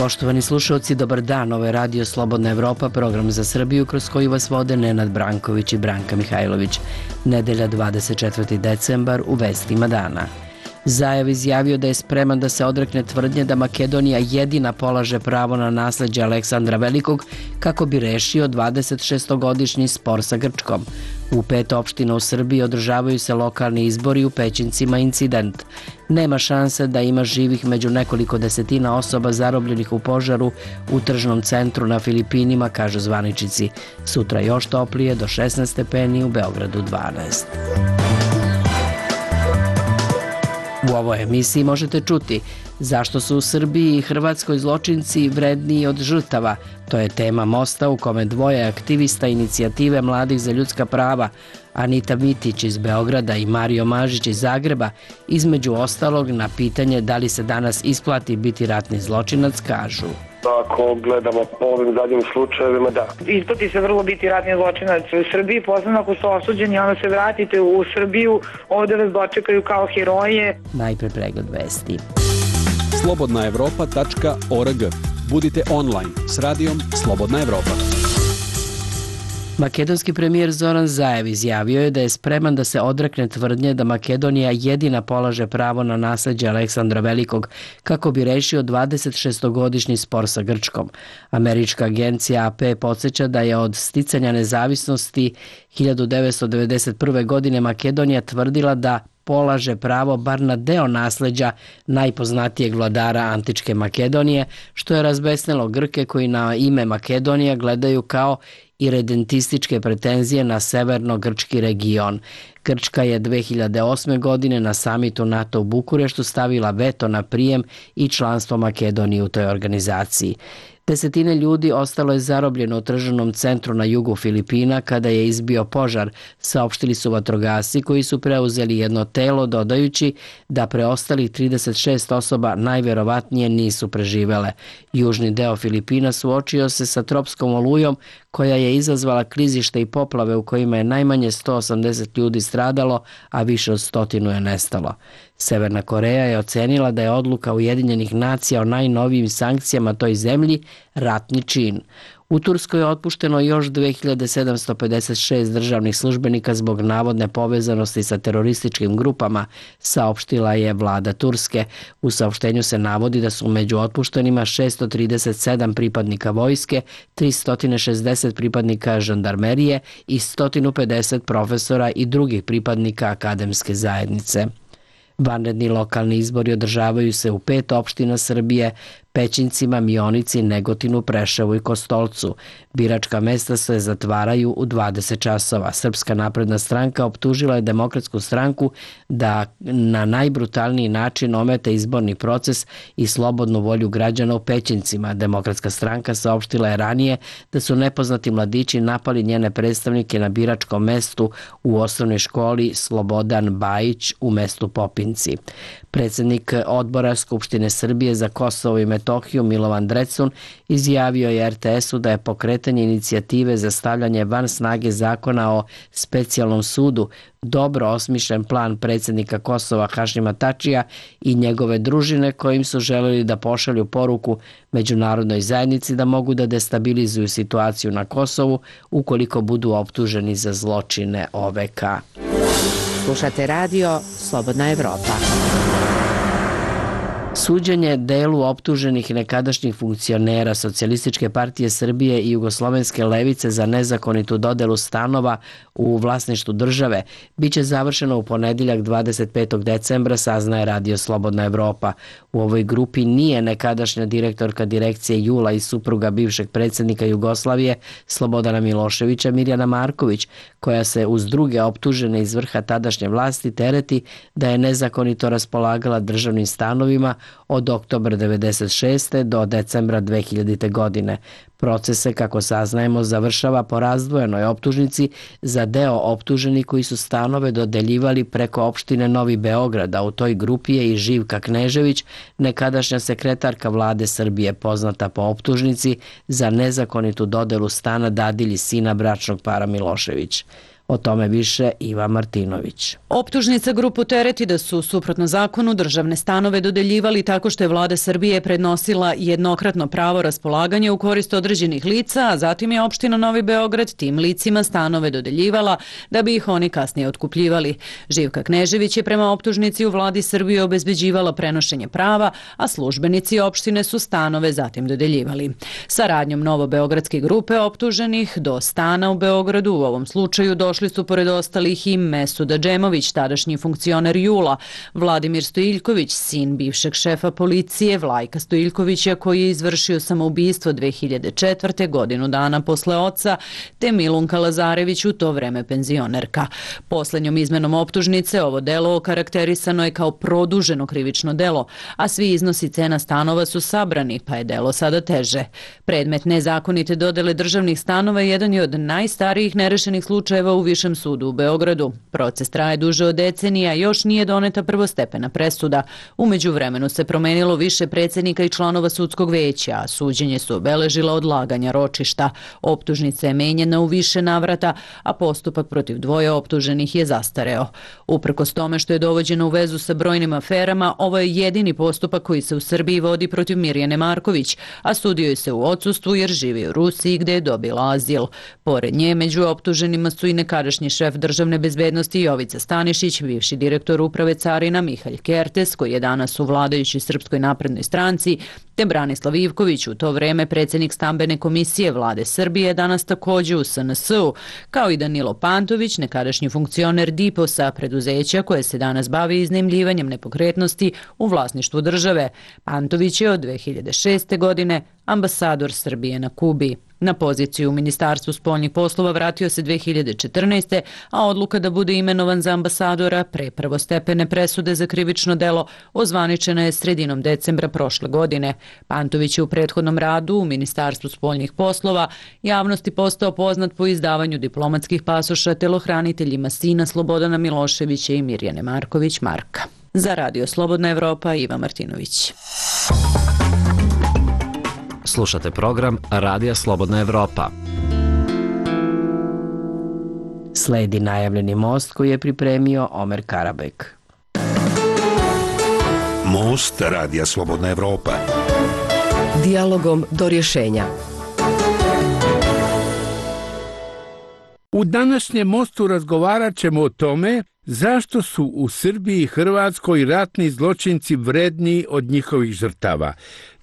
Poštovani slušalci, dobar dan. Ovo je Radio Slobodna Evropa, program za Srbiju kroz koji vas vode Nenad Branković i Branka Mihajlović. Nedelja 24. decembar, u vestima dana. Zajev izjavio da je spreman da se odrekne tvrdnje da Makedonija jedina polaže pravo na nasleđe Aleksandra Velikog kako bi rešio 26-godišnji spor sa Grčkom. U 5 opština u Srbiji održavaju se lokalni izbori, u Pećincima incident. Nema šanse da ima živih među nekoliko desetina osoba zarobljenih u požaru u tržnom centru na Filipinima, kažu zvaničnici. Sutra još toplije, do 16 stepeni, u Beogradu 12. U ovoj emisiji možete čuti zašto su u Srbiji i Hrvatskoj zločinci vredniji od žrtava. To je tema Mosta u kome dvoje aktivista inicijative Mladih za ljudska prava, Anita Mitić iz Beograda i Mario Mažić iz Zagreba, između ostalog na pitanje da li se danas isplati biti ratni zločinac, kažu. Ako gledamo po ovim zadnjim slučajevima, da. Isplati se vrlo biti ratni zločinac u Srbiji, posebno ako ste osuđeni, onda se vratite u Srbiju, ovde vas dočekaju kao heroje. Najpre pregled vesti. slobodnaevropa.org. Budite online s radijom Slobodna Evropa. Makedonski premijer Zoran Zajev izjavio je da je spreman da se odrekne tvrdnje da Makedonija jedina polaže pravo na nasleđe Aleksandra Velikog kako bi rešio 26-godišnji spor sa Grčkom. Američka agencija AP podsjeća da je od sticanja nezavisnosti 1991. godine Makedonija tvrdila da polaže pravo bar na deo nasleđa najpoznatijeg vladara antičke Makedonije, što je razbesnelo Grke koji na ime Makedonija gledaju kao iredentističke pretenzije na severno-grčki region. Grčka je 2008. godine na samitu NATO u Bukureštu stavila veto na prijem i članstvo Makedonije u toj organizaciji. Desetine ljudi ostalo je zarobljeno u tržnom centru na jugu Filipina kada je izbio požar, saopštili su vatrogasci koji su preuzeli jedno telo, dodajući da preostalih 36 osoba najverovatnije nisu preživele. Južni deo Filipina suočio se sa tropskom olujom koja je izazvala klizište i poplave u kojima je najmanje 180 ljudi stradalo, a više od 100 je nestalo. Severna Koreja je ocenila da je odluka Ujedinjenih nacija o najnovijim sankcijama toj zemlji ratni čin. U Turskoj je otpušteno još 2756 državnih službenika zbog navodne povezanosti sa terorističkim grupama, saopštila je vlada Turske. U saopštenju se navodi da su među otpuštenima 637 pripadnika vojske, 360 pripadnika žandarmerije i 150 profesora i drugih pripadnika akademske zajednice. Vanredni lokalni izbori održavaju se u 5 opština Srbije, Pećincima, Mionici, Negotinu, Preševu i Kostolcu. Biračka mesta se zatvaraju u 20 časova. Srpska napredna stranka optužila je Demokratsku stranku da na najbrutalniji način ometa izborni proces i slobodnu volju građana u Pećincima. Demokratska stranka saopštila je ranije da su nepoznati mladići napali njene predstavnike na biračkom mestu u osnovnoj školi Slobodan Bajić u mestu Popinci. Predsjednik odbora Skupštine Srbije za Kosovo i Metohiju Milovan Drecun izjavio je RTS-u da je pokretanje inicijative za stavljanje van snage zakona o specijalnom sudu dobro osmišljen plan predsjednika Kosova Hašima Tačija i njegove družine kojim su želeli da pošalju poruku međunarodnoj zajednici da mogu da destabilizuju situaciju na Kosovu ukoliko budu optuženi za zločine OVK. Slušate radio Slobodna Evropa. Suđenje delu optuženih nekadašnjih funkcionera Socijalističke partije Srbije i Jugoslovenske levice za nezakonitu dodelu stanova u vlasništvu države biće završeno u ponedeljak 25. decembra, saznaje Radio Slobodna Evropa. U ovoj grupi nije nekadašnja direktorka direkcije Jula i supruga bivšeg predsjednika Jugoslavije Slobodana Miloševića Mirjana Marković, koja se uz druge optužene iz vrha tadašnje vlasti tereti da je nezakonito raspolagala državnim stanovima od oktobra 1996. do decembra 2000. godine. Proces se, kako saznajemo, završava po razdvojenoj optužnici za deo optuženih koji su stanove dodeljivali preko opštine Novi Beograd, a u toj grupi je i Živka Knežević, nekadašnja sekretarka vlade Srbije, poznata po optužnici za nezakonitu dodelu stana dadilji sina bračnog para Milošević. O tome više Iva Martinović. Optužnica grupu tereti da su suprotno zakonu državne stanove dodeljivali tako što je vlada Srbije prednosila jednokratno pravo raspolaganja u korist određenih lica, a zatim je opština Novi Beograd tim licima stanove dodeljivala da bi ih oni kasnije otkupljivali. Živka Knežević je prema optužnici u vladi Srbije obezbeđivala prenošenje prava, a službenici opštine su stanove zatim dodeljivali. Saradnjom novobeogradske grupe optuženih do stana u Beogradu u ovom slučaju došli su pored ostalih i Mesuda Džemović, tadašnji funkcioner JUL-a, Vladimir Stojiljković, sin bivšeg šefa policije Vlajka Stojiljkovića koji je izvršio samoubistvo 2004. godinu dana posle oca, te Milunka Lazarević, u to vreme penzionerka. Poslednjom izmenom optužnice ovo delo okarakterisano je kao produženo krivično delo, a svi iznosi cena stanova su sabrani, pa je delo sada teže. Predmet nezakonite dodele državnih stanova jedan je od najstarijih nerešenih slučajeva u Višem sudu u Beogradu. Proces traje duže od decenija, još nije doneta prvostepena presuda. U međuvremenu se promenilo više predsednika i članova sudskog veća, a suđenje su obeležila odlaganja ročišta. Optužnica je menjena u više navrata, a postupak protiv dvoje optuženih je zastareo. Uprkos tome što je dovođeno u vezu sa brojnim aferama, ovo je jedini postupak koji se u Srbiji vodi protiv Mirjane Marković, a sudio je se u odsustvu jer živi u Rusiji gde je dobila azil. Pored nje, među optuženima su i nekadašnji šef državne bezbednosti Jovica Stanišić, bivši direktor uprave carina Mihalj Kertes, koji je danas u vladajućoj Srpskoj naprednoj stranci, te Branislav Ivković, u to vreme predsjednik stambene komisije vlade Srbije, danas takođe u SNS-u, kao i Danilo Pantović, nekadašnji funkcioner DIPOS-a, preduzeća koje se danas bavi iznajmljivanjem nepokretnosti u vlasništvu države. Pantović je od 2006. godine ambasador Srbije na Kubi. Na poziciju u Ministarstvu spoljnih poslova vratio se 2014. a odluka da bude imenovan za ambasadora pre prvostepene presude za krivično delo ozvaničena je sredinom decembra prošle godine. Pantović je u prethodnom radu u Ministarstvu spoljnih poslova javnosti postao poznat po izdavanju diplomatskih pasoša telohraniteljima sina Slobodana Miloševića i Mirjane Marković Marka. Za Radio Slobodna Evropa, Iva Martinović. Slušate program Radija Slobodna Evropa. Sledi najavljeni most koji je pripremio Omer Karabek. Most Radija Slobodna Evropa. Dijalogom do rješenja. U današnjem mostu razgovarat ćemo o tome zašto su u Srbiji i Hrvatskoj ratni zločinci vredniji od njihovih žrtava.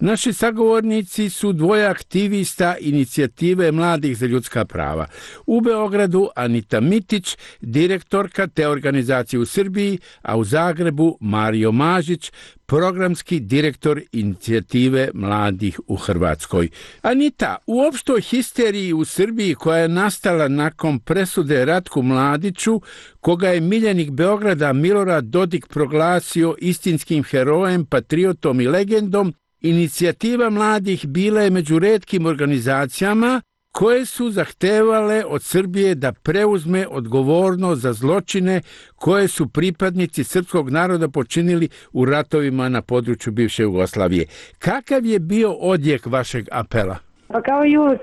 Naši sagovornici su dvoje aktivista inicijative Mladih za ljudska prava. U Beogradu Anita Mitić, direktorka te organizacije u Srbiji, a u Zagrebu Mario Mažić, programski direktor inicijative Mladih u Hrvatskoj. Anita, u opštoj histeriji u Srbiji koja je nastala nakon presude Ratku Mladiću, koga je miljenik Beograda Milorad Dodik proglasio istinskim herojem, patriotom i legendom, inicijativa Mladih bila je među retkim organizacijama koje su zahtevale od Srbije da preuzme odgovornost za zločine koje su pripadnici srpskog naroda počinili u ratovima na području bivše Jugoslavije. Kakav je bio odjek vašeg apela? Pa kao i uvek,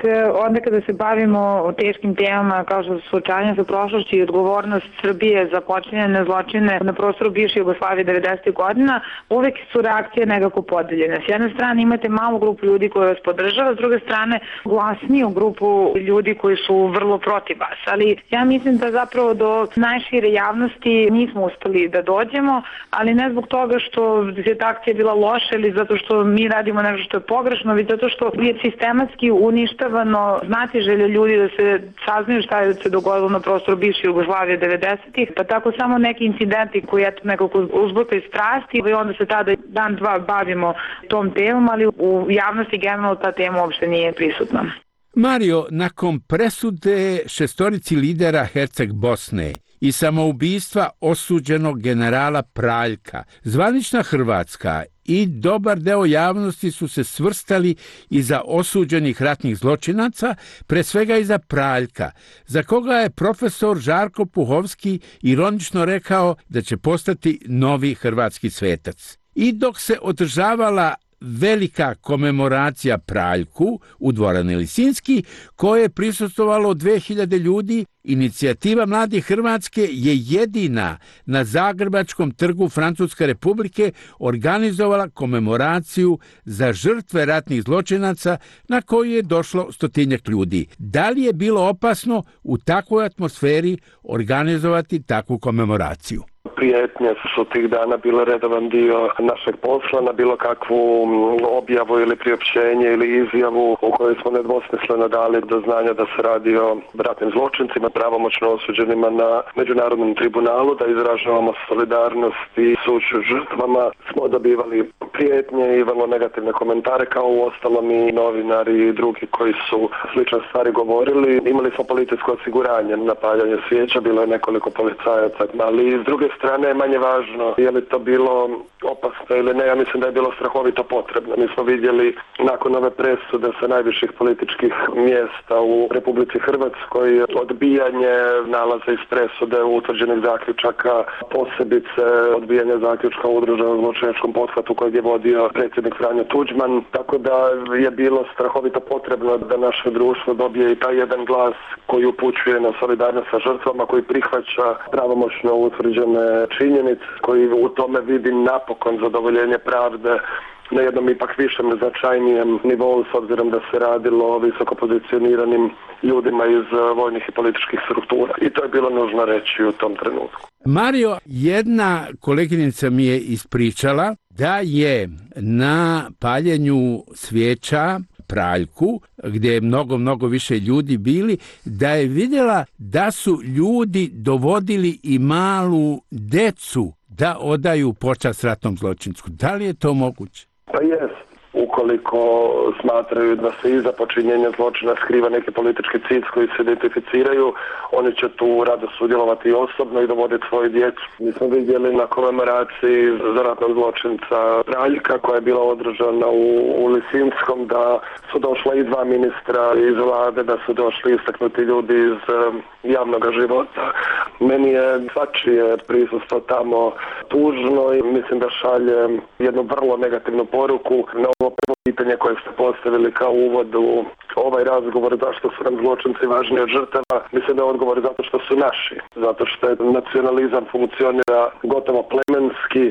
onda kada se bavimo o teškim temama kao što su suočavanje sa prošlošću i odgovornost Srbije za počinjene zločine na prostoru bivše Jugoslavije 90. godina, uvek su reakcije nekako podeljene. S jedne strane imate malu grupu ljudi koja vas podržava, s druge strane glasniju grupu ljudi koji su vrlo protiv vas. Ali ja mislim da zapravo do najšire javnosti nismo uspeli da dođemo, ali ne zbog toga što je ta akcija bila loša ili zato što mi radimo nešto što je pogrešno, već zato što je sistematski uništavano znatiželje ljudi da se saznaju šta je se dogodilo na prostoru bivše Jugoslavije 90-ih, pa tako samo neki incidenti koji eto nekako uzbukaju strasti i onda se tada dan dva bavimo tom temom, ali u javnosti generalno ta tema uopšte nije prisutna. Mario, nakon presude šestorici lidera Herceg Bosne i samoubistva osuđenog generala Praljka, zvanična Hrvatska i dobar deo javnosti su se svrstali iza osuđenih ratnih zločinaca, pre svega iza Praljka, za koga je profesor Žarko Puhovski ironično rekao da će postati novi hrvatski svetac. I dok se održavala velika komemoracija Praljku u dvorani Lisinski, koje je prisustvovalo 2000 ljudi. Inicijativa Mladih Hrvatske je jedina na Zagrebačkom trgu Francuske Republike organizovala komemoraciju za žrtve ratnih zločinaca na koju je došlo 100-tinjak ljudi. Da li je bilo opasno u takvoj atmosferi organizovati takvu komemoraciju? Prijetnje su tih dana bile redovan dio našeg posla, na bilo kakvu objavu ili priopćenje ili izjavu u kojoj smo nedvosmisleno dali do znanja da se radi o ratnim zločincima, pravomoćno osuđenima na Međunarodnom tribunalu, da izražavamo solidarnost i sućut žrtvama. Smo dobivali prijetnje i vrlo negativne komentare, kao u ostalom i novinari i drugi koji su slične stvari govorili. Imali smo policijsko osiguranje na paljenje svijeća, bilo je nekoliko policajaca, ali s druge strane je manje važno je li to bilo opasno ili ne. Ja mislim da je bilo strahovito potrebno. Mi smo vidjeli nakon ove presude sa najviših političkih mjesta u Republici Hrvatskoj odbijanje nalaza iz presude utvrđenih zaključaka, posebice odbijanje zaključka o udruženom zločinačkom pothvatu kojeg je vodio predsjednik Franjo Tuđman, tako da je bilo strahovito potrebno da naše društvo dobije i taj jedan glas koji upućuje na solidarnost sa žrtvama, koji prihvaća pravomoćno utvrđene činjenice, koji u tome vidi napokon zadovoljenje pravde na jednom ipak višem, značajnijem nivou, s obzirom da se radilo o visoko pozicioniranim ljudima iz vojnih i političkih struktura. I to je bilo nužno reći u tom trenutku. Mario, jedna koleginica mi je ispričala da je na paljenju svijeća Praljku, gdje je mnogo više ljudi bili, da je vidjela da su ljudi dovodili i malu decu da odaju počast ratnom zločincu. Da li je to moguće? Pa jest. Ukoliko smatraju da se iza počinjenja zločina skriva neki politički cilj s koji se identificiraju, oni će tu rado sudjelovati osobno i dovoditi svoju djecu. Mi smo vidjeli na komemoraciji za ratnog zločinca Praljka koja je bila održana u Lisinskom da su došla i 2 ministra iz vlade, da su došli istaknuti ljudi iz javnog života. Meni je svačije prisustvo tamo tužno i mislim da šalje jednu vrlo negativnu poruku na ovo prvo pitanje koje ste postavili kao uvod u ovaj razgovor, zašto su nam zločinci važni od žrtava. Mislim da je odgovor zato što su naši, zato što je nacionalizam funkcionira gotovo plemenski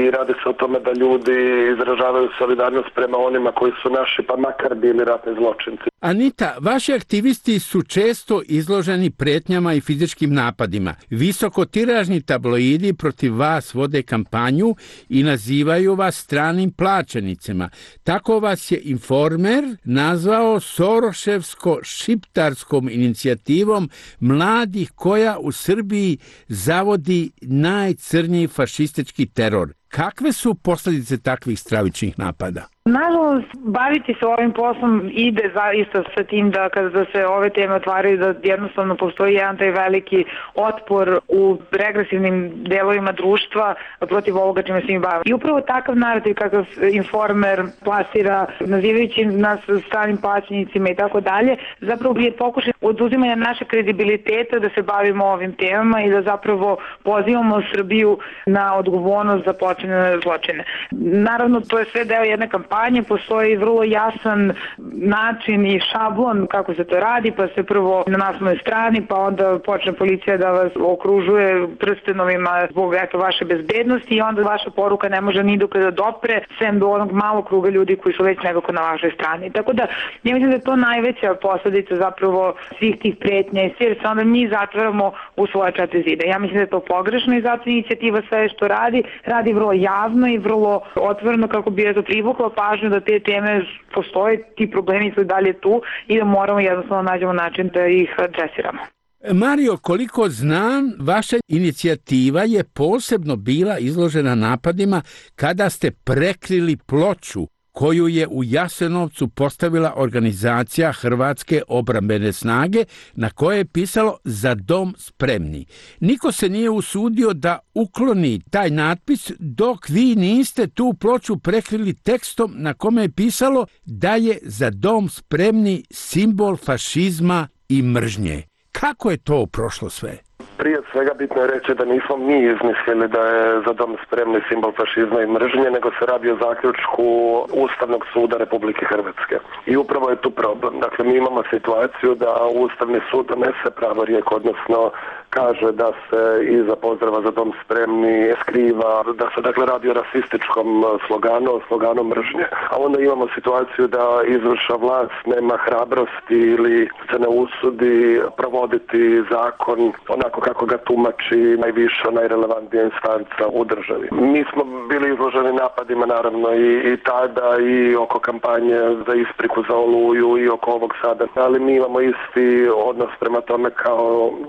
i radi se o tome da ljudi izražavaju solidarnost prema onima koji su naši, pa makar bili ratni zločinci. Anita, vaši aktivisti su često izloženi pretnjama i fizičkim napadima. Visokotiražni tabloidi protiv vas vode kampanju i nazivaju vas stranim plaćenicima. Tako vas je Informer nazvao Soroševsko-šiptarskom inicijativom mladih koja u Srbiji zavodi najcrnji fašistički teror. Kakve su posljedice takvih stravičnih napada? Nažalost, baviti se ovim poslom ide zaista sa tim da kada se ove teme otvaraju da jednostavno postoji jedan taj veliki otpor u regresivnim delovima društva protiv ovoga čime se im bavimo. I upravo takav narativ kakav Informer plasira, nazivajući nas stranim plaćenicima i tako dalje, zapravo je pokušaj oduzimanja naše kredibiliteta da se bavimo ovim temama i da zapravo pozivamo Srbiju na odgovornost za počinjene zločine. Naravno, to je sve deo jedne kampanje, postoji vrlo jasan način i šablon kako se to radi, pa se prvo na naslovnoj strani, pa onda počne policija da vas okružuje prstenovima zbog vaše bezbednosti i onda vaša poruka ne može ni dok da dopre, sem do onog malog kruga ljudi koji su već nekako na vašoj strani. Tako da, ja mislim da je to najveća posledica zapravo svih tih pretnja i jer se onda mi zatvaramo u svoje 4 zida. Ja mislim da je to pogrešno i zato inicijativa sve što radi vrlo javno i vrlo otvoreno kako bi je to privuklo pažnju da te teme postoje, ti problemi su dalje tu i da moramo jednostavno nađemo način da ih adresiramo. Mario, koliko znam, vaša inicijativa je posebno bila izložena napadima kada ste prekrili ploču koju je u Jasenovcu postavila organizacija Hrvatske obrambene snage na kojoj je pisalo Za dom spremni. Niko se nije usudio da ukloni taj natpis dok vi niste tu ploču prekrili tekstom na kome je pisalo da je Za dom spremni simbol fašizma i mržnje. Kako je to prošlo sve? Prije svega bitno je reći da nismo mi izmislili da je Za dom spremni simbol fašizma i mržnje, nego se radi o zaključku Ustavnog suda Republike Hrvatske. I upravo je tu problem. Dakle, mi imamo situaciju da Ustavni sud donese pravorijek, odnosno kaže da se iza pozdrava Za dom spremni skriva, da se dakle radi o rasističkom sloganu mržnje. A onda imamo situaciju da izvršna vlast nema hrabrosti ili se ne usudi provoditi zakon onako kako ga tumači najviša, najrelevantnija instanca u državi. Mi smo bili izloženi napadima naravno i tada i oko kampanje za ispriku za Oluju i oko ovog sada, ali mi imamo isti odnos prema tome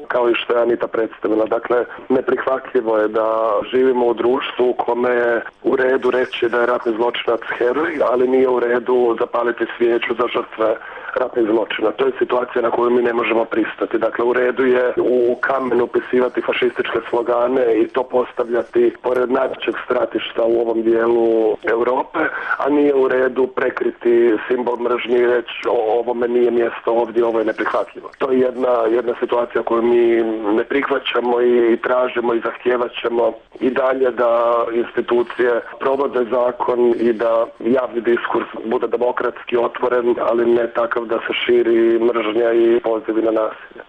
kao i što je Anita predstavila. Dakle, neprihvatljivo je da živimo u društvu u kome je u redu reći da je ratni zločinac heroj, ali nije u redu zapaliti svijeću za žrtve ratnih zločina. To je situacija na koju mi ne možemo pristati. Dakle, u redu je u kamen upisivati fašističke slogane i to postavljati pored najvećeg stratišta u ovom dijelu Europe, a nije u redu prekriti simbol mržnje i reći ovome nije mjesto ovdje, ovo je neprihvatljivo. To je jedna situacija koju mi ne prihvaćamo i tražimo i zahtijevat ćemo i dalje da institucije provode zakon i da javni diskurs bude demokratski otvoren, ali ne takav da se širi mržnja i pozivi na nasilje.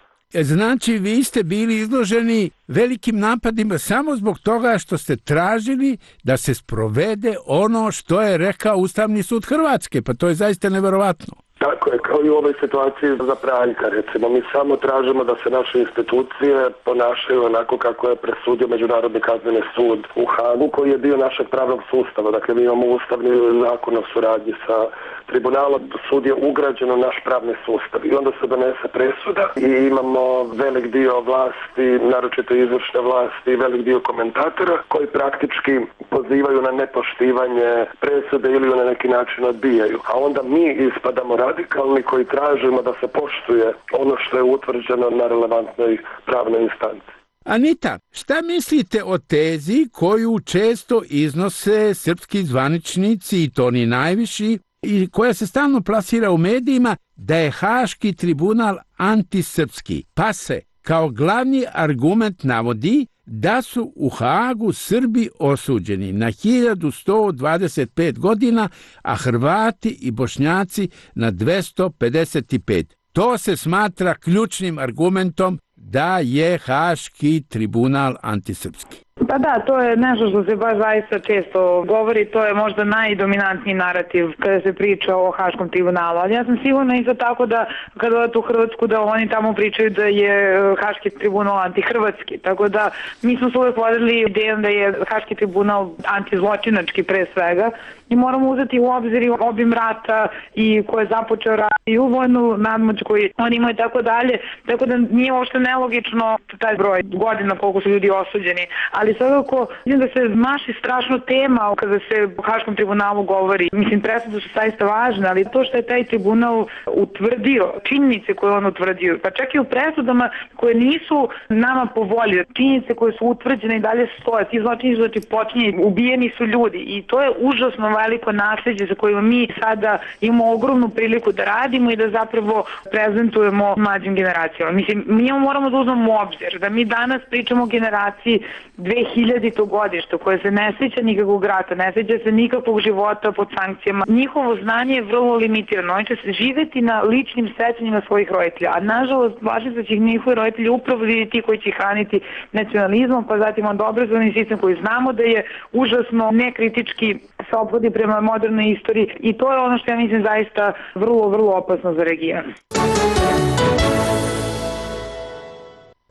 Znači, vi ste bili izloženi velikim napadima samo zbog toga što ste tražili da se sprovede ono što je rekao Ustavni sud Hrvatske. Pa to je zaista neverovatno. Tako je, kao i u ovoj situaciji za Praljka, recimo. Mi samo tražimo da se naše institucije ponašaju onako kako je presudio Međunarodni kazneni sud u Hagu, koji je dio našeg pravnog sustava. Dakle, mi imamo ustavni zakon o suradnji sa tribunalom. Sud je ugrađen u naš pravni sustav i onda se donese presuda i imamo velik dio vlasti, naročito izvršne vlasti i velik dio komentatora koji praktički pozivaju na nepoštivanje presude ili na neki način odbijaju. A onda mi ispadamo radikalni koji tražimo da se poštuje ono što je utvrđeno na relevantnoj pravnoj instanci. Anita, šta mislite o tezi koju često iznose srpski zvaničnici i to oni najviši i koja se stalno plasira u medijima da je Haški tribunal antisrpski, pa se kao glavni argument navodi da su u Hagu Srbi osuđeni na 1125 godina, a Hrvati i Bošnjaci na 255. To se smatra ključnim argumentom da je Haški tribunal antisrpski. Pa da, to je nešto što se baš zaista često govori, to je možda najdominantniji narativ kada se priča o Haškom tribunalu, ali ja sam sigurna isto tako da kada odete u Hrvatsku da oni tamo pričaju da je Haški tribunal antihrvatski, tako da mi smo se uvijek vodili idejom da je Haški tribunal antizločinački pre svega i moramo uzeti u obzir obim rata i ko je započeo rat i u vojnu nadmoć koju oni imaju i tako dalje, tako da nije uopšte nelogično taj broj godina koliko su ljudi osuđeni, ali svakako vidim da se maši strašno tema kada se o Haškom tribunalu govori. Mislim, presude su zaista važne, ali to što je taj tribunal utvrdio, činjenice koje on utvrdio, pa čak i u presudama koje nisu nama po volji, činjenice koje su utvrđene i dalje stoje, ti zločini su počinjeni, ubijeni su ljudi i to je užasno veliko nasljeđe za koje mi sada imamo ogromnu priliku da radimo i da zapravo prezentujemo mlađim generacijama. Mislim, mi moramo da uzmemo u obzir da mi danas pričamo o generaciji 2000. godišta koje se ne sjeća nikakvog rata, ne sjeća se nikakvog života pod sankcijama. Njihovo znanje je vrlo limitirano. Oni će se živjeti na ličnim sećanjima svojih roditelja, a nažalost važno da će njihovi roditelji upravo ti koji će hraniti nacionalizmom, pa zatim od obrazovni sistem koji znamo da je užasno nekritički se ophodi prema modernoj istoriji i to je ono što ja mislim zaista vrlo, vrlo opasno za region.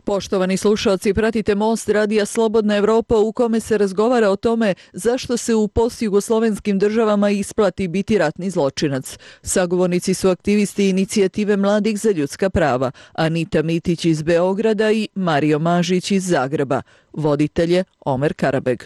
Poštovani slušalci, pratite Most Radija Slobodna Evropa u kome se razgovara o tome zašto se u postjugoslovenskim državama isplati biti ratni zločinac. Sagovornici su aktivisti inicijative Mladih za ljudska prava, Anita Mitić iz Beograda i Mario Mažić iz Zagreba. Voditelj je Omer Karabeg.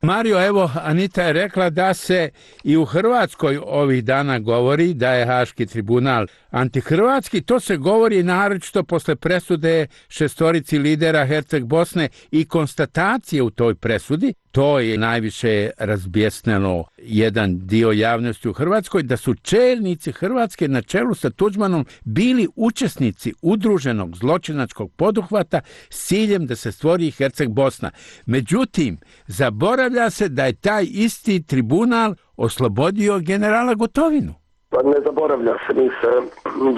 Mario, evo, Anita je rekla da se i u Hrvatskoj ovih dana govori da je Haški tribunal antihrvatski. To se govori naročito posle presude šestorici lidera Herceg Bosne i konstatacije u toj presudi to je najviše razbjesnilo jedan dio javnosti u Hrvatskoj, da su čelnici Hrvatske na čelu sa Tuđmanom bili učesnici udruženog zločinačkog poduhvata s ciljem da se stvori Herceg Bosna. Međutim, zaboravlja se da je taj isti tribunal oslobodio generala Gotovinu. Pa ne zaboravlja se, mi se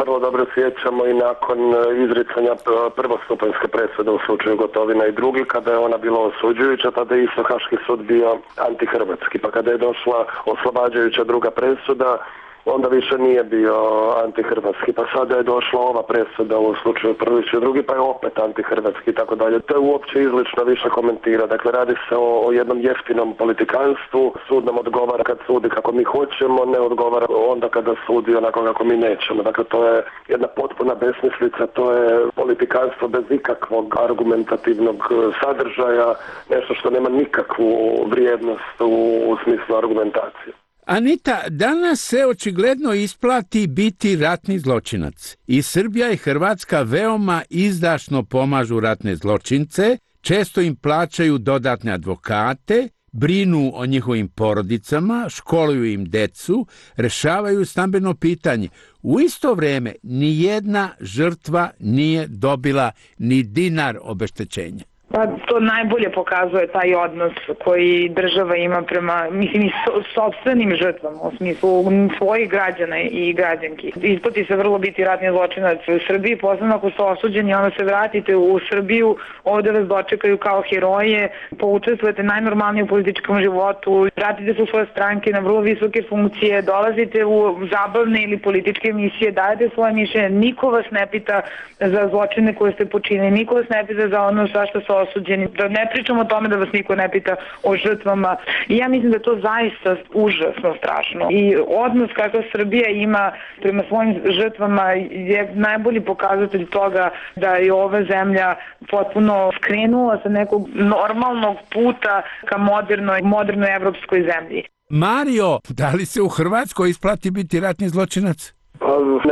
vrlo dobro sjećamo i nakon izricanja prvostupanjske presude u slučaju Gotovina i drugi, kada je ona bila osuđujuća, tada je isto Haški sud bio antihrvatski, pa kada je došla oslobađajuća druga presuda, onda više nije bio antihrvatski, pa sada je došla ova presuda u slučaju Prlić i drugi, pa je opet antihrvatski i tako dalje. To je uopće izlično više komentira. Dakle, radi se o jednom jeftinom politikanstvu. Sud nam odgovara kad sudi kako mi hoćemo, ne odgovara onda kada sudi onako kako mi nećemo. Dakle, to je jedna potpuna besmislica, to je politikanstvo bez ikakvog argumentativnog sadržaja, nešto što nema nikakvu vrijednost u smislu argumentacije. Anita, danas se očigledno isplati biti ratni zločinac. I Srbija i Hrvatska veoma izdašno pomažu ratne zločince, često im plaćaju dodatne advokate, brinu o njihovim porodicama, školuju im decu, rešavaju stambeno pitanje. U isto vrijeme nijedna žrtva nije dobila ni dinar obeštećenja. Pa to najbolje pokazuje taj odnos koji država ima prema, mislim, i sopstvenim žrtvama, u smislu svojih građana i građanki. Isplati se vrlo biti ratni zločinac u Srbiji, posebno ako ste osuđeni, onda se vratite u Srbiju, ovdje vas dočekaju kao heroje, poučestvujete najnormalnije u političkom životu, vratite se u svoje stranke na vrlo visoke funkcije, dolazite u zabavne ili političke emisije, dajete svoje mišljenje, niko vas ne pita za zločine koje ste počinili, niko vas ne pita za ono za što ste osuđeni, da ne pričamo o tome da vas niko ne pita o žrtvama. I ja mislim da je to zaista užasno strašno. I odnos kakav Srbija ima prema svojim žrtvama je najbolji pokazatelj toga da je ova zemlja potpuno skrenula sa nekog normalnog puta ka modernoj evropskoj zemlji. Mario, da li se u Hrvatskoj isplati biti ratni zločinac?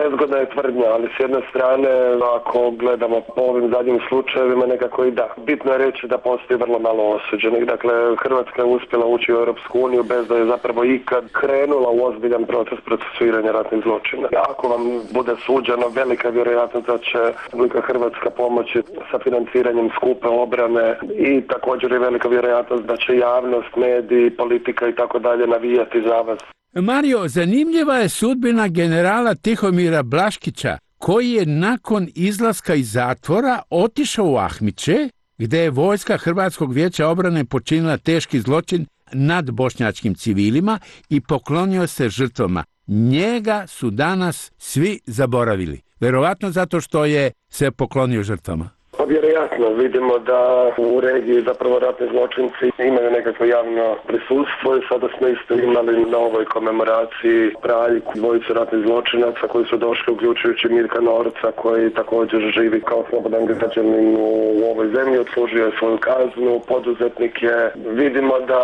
Nezgodna je tvrdnja, ali s jedne strane, ako gledamo po ovim zadnjim slučajevima, nekako i da. Bitno je reći da postoji vrlo malo osuđenih. Dakle, Hrvatska je uspjela ući u Europsku uniju bez da je zapravo ikad krenula u ozbiljan proces procesuiranja ratnih zločina. Ako vam bude suđeno, velika vjerojatnost da će Republika Hrvatska pomoći sa financiranjem skupe obrane i također je velika vjerojatnost da će javnost, mediji, politika i tako dalje navijati za vas. Mario, zanimljiva je sudbina generala Tihomira Blaškića, koji je nakon izlaska iz zatvora otišao u Ahmiće, gdje je vojska Hrvatskog vijeća obrane počinila teški zločin nad bošnjačkim civilima i poklonio se žrtvama. Njega su danas svi zaboravili, verovatno zato što je se poklonio žrtvama. Pa vjerojatno vidimo da u regiji zapravo ratni zločinci imaju nekakvo javno prisustvo i sada smo isto imali na ovoj komemoraciji Praljku, dvojicu ratnih zločinaca koji su došli, uključujući Mirka Norca koji također živi kao slobodan građanin u ovoj zemlji, odslužio je svoju kaznu, poduzetnik je. Vidimo da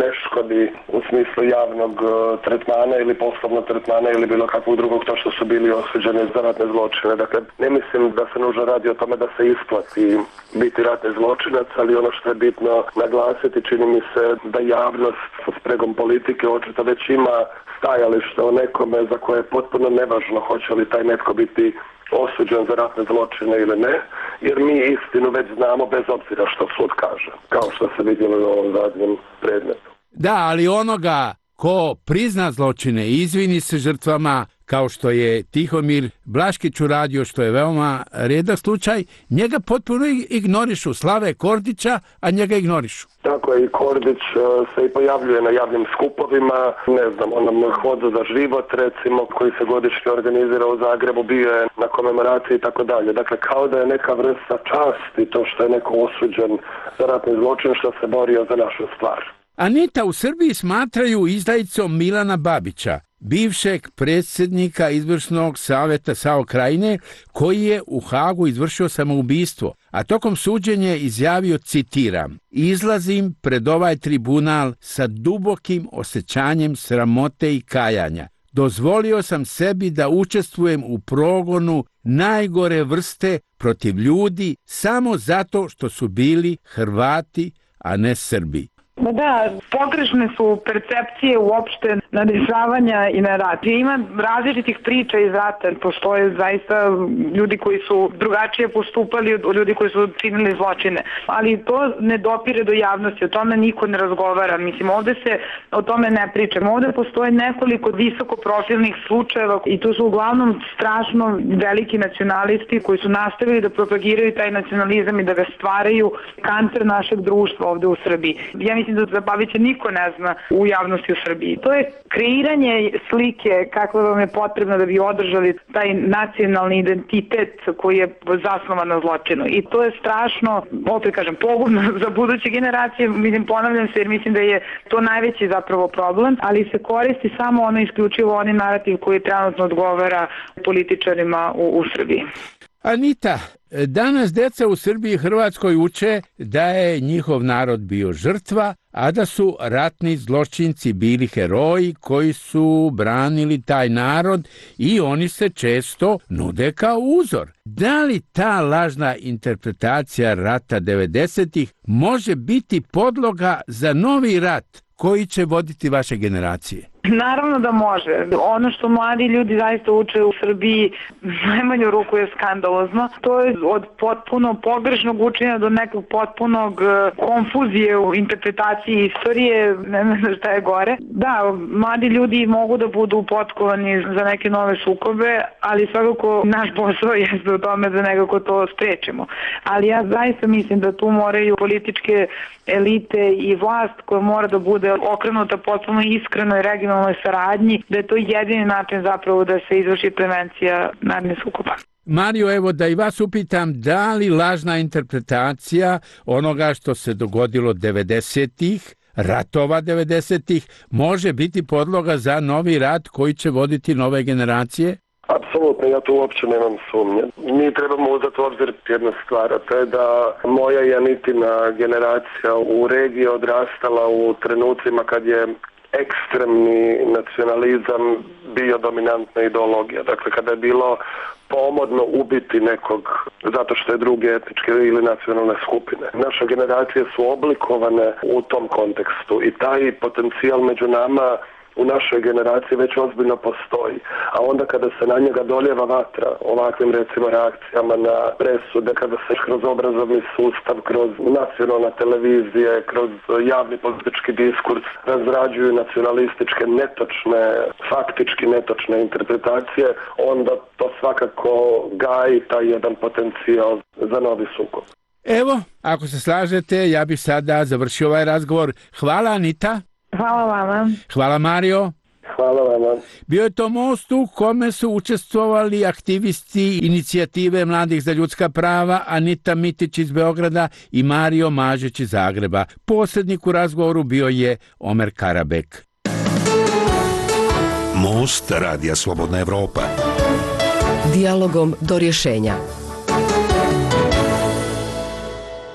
ne škodi u smislu javnog tretmana ili poslovnog tretmana ili bilo kakvog drugog to što su bili osuđeni za ratne zločine. Dakle, ne mislim da se nužno radi o tome da se isplati biti ratni zločinac, ali ono što je bitno naglasiti, čini mi se da javnost sa spregom politike očito već ima stajalište o nekome za koje je potpuno nevažno hoće li taj netko biti osuđen za ratne zločine ili ne, jer mi istinu već znamo bez obzira što sud kaže, kao što se vidjelo u ovom zadnjem predmetu. Da, ali onoga ko prizna zločine i izvini se žrtvama, kao što je Tihomir Blaškić uradio, što je veoma rijedak slučaj, njega potpuno ignorišu. Slave Kordića, a njega ignorišu. Tako je, i Kordić se i pojavljuje na javnim skupovima, ne znam, onom Hodu za život, recimo, koji se godišnje organizira u Zagrebu, bio je na komemoraciji i tako dalje. Dakle, kao da je neka vrsta časti to što je neko osuđen za ratni zločin, što se borio za našu stvar. Anita, u Srbiji smatraju izdajicom Milana Babića, bivšeg predsjednika izvršnog savjeta SAO Krajine, koji je u Hagu izvršio samoubistvo, a tokom suđenja izjavio, citiram, izlazim pred ovaj tribunal sa dubokim osjećanjem sramote i kajanja. Dozvolio sam sebi da učestvujem u progonu najgore vrste protiv ljudi samo zato što su bili Hrvati, a ne Srbi. Da, pogrešne su percepcije uopšte na dešavanja i na rat. Ima različitih priča iz rata, postoje zaista ljudi koji su drugačije postupali od ljudi koji su činili zločine, ali to ne dopire do javnosti, o tome niko ne razgovara. Mislim, ovde se o tome ne priča. Ovde postoje nekoliko visokoprofilnih slučajeva i to su uglavnom strašno veliki nacionalisti koji su nastavili da propagiraju taj nacionalizam i da ga stvaraju kancer našeg društva ovde u Srbiji. Ja mislim da Babića niko ne zna u javnosti u Srbiji. To je kreiranje slike kakva vam je potrebna da bi održali taj nacionalni identitet koji je zasnovan na zločinu. I to je strašno, opet kažem, pogubno za buduće generacije. Mislim, ponavljam se jer mislim da je to najveći zapravo problem, ali se koristi samo ono isključivo onaj narativ koji trenutno odgovara političarima u Srbiji. Anita, danas deca u Srbiji i Hrvatskoj uče da je njihov narod bio žrtva, a da su ratni zločinci bili heroji koji su branili taj narod i oni se često nude kao uzor. Da li ta lažna interpretacija rata 90-ih može biti podloga za novi rat koji će voditi vaše generacije? Naravno da može. Ono što mladi ljudi zaista uče u Srbiji najmanju ruku je skandalozno. To je od potpuno pogrešnog učenja do nekog potpunog konfuzije u interpretaciji istorije, ne znam šta je gore. Da, mladi ljudi mogu da budu potkovani za neke nove sukobe, ali svakako naš posao jeste u tome da nekako to sprečimo. Ali ja zaista mislim da tu moraju političke elite i vlast koja mora da bude okrenuta potpuno iskreno i regionalnoj saradnji, da je to jedini način zapravo da se izvrši prevencija narednih sukoba. Mario, evo da i vas upitam, da li lažna interpretacija onoga što se dogodilo 90-ih, ratova 90-ih, može biti podloga za novi rat koji će voditi nove generacije? Apsolutno, ja tu uopće nemam sumnje. Mi trebamo uzeti u obzir jednu stvar, a to je da moja i Anitina generacija u regiji odrastala u trenucima kad je ekstremni nacionalizam bio dominantna ideologija. Dakle, kada je bilo pomodno ubiti nekog zato što je druge etničke ili nacionalne skupine. Naše generacije su oblikovane u tom kontekstu i taj potencijal među nama u našoj generaciji već ozbiljno postoji. A onda kada se na njega doljeva vatra ovakvim recimo reakcijama na presude, kada se kroz obrazovni sustav, kroz nacionalne televizije, kroz javni politički diskurs razrađuju nacionalističke netočne, faktički netočne interpretacije, onda to svakako gaji taj jedan potencijal za novi sukob. Evo, ako se slažete, ja bih sada završio ovaj razgovor. Hvala, Anita. Hvala vama. Hvala, Mario. Hvala vama. Bio je to most u kome su učestvovali aktivisti inicijative Mladih za ljudska prava Anita Mitić iz Beograda i Mario Mažić iz Zagreba. Posrednik u razgovoru bio je Omer Karabek. Most Radija Slobodna Evropa. Dijalogom do rješenja.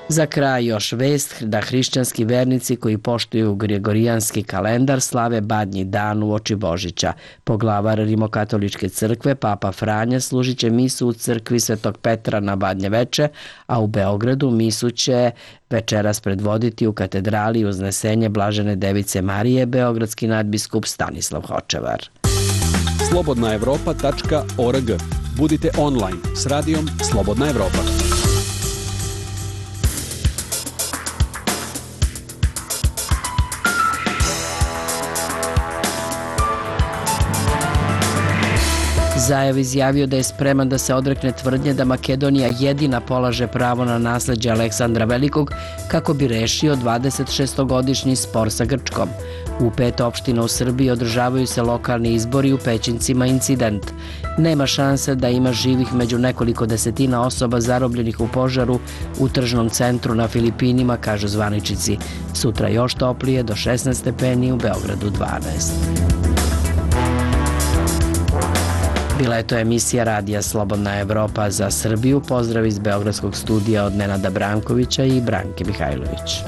Za kraj još vest da hrišćanski vernici koji poštuju gregorijanski kalendar slave Badnji dan uoči Božića. Poglavar Rimokatoličke crkve, Papa Franja, služit će misu u crkvi Svetog Petra na Badnje veče, a u Beogradu misu će večeras predvoditi u katedrali Uznesenje Blažene Device Marije beogradski nadbiskup Stanislav Hočevar. slobodnaevropa.org. Budite online s radijom Slobodna Evropa. Zajev izjavio da je spreman da se odrekne tvrdnje da Makedonija jedina polaže pravo na nasleđe Aleksandra Velikog kako bi rešio 26-godišnji spor sa Grčkom. U 5 opština u Srbiji održavaju se lokalni izbori, u Pećincima incident. Nema šanse da ima živih među nekoliko desetina osoba zarobljenih u požaru u tržnom centru na Filipinima, kažu zvaničnici. Sutra još toplije, do 16 stepeni, u Beogradu 12. Bila je to emisija Radija Slobodna Evropa za Srbiju. Pozdrav iz Beogradskog studija od Nenada Brankovića i Branke Mihajlović.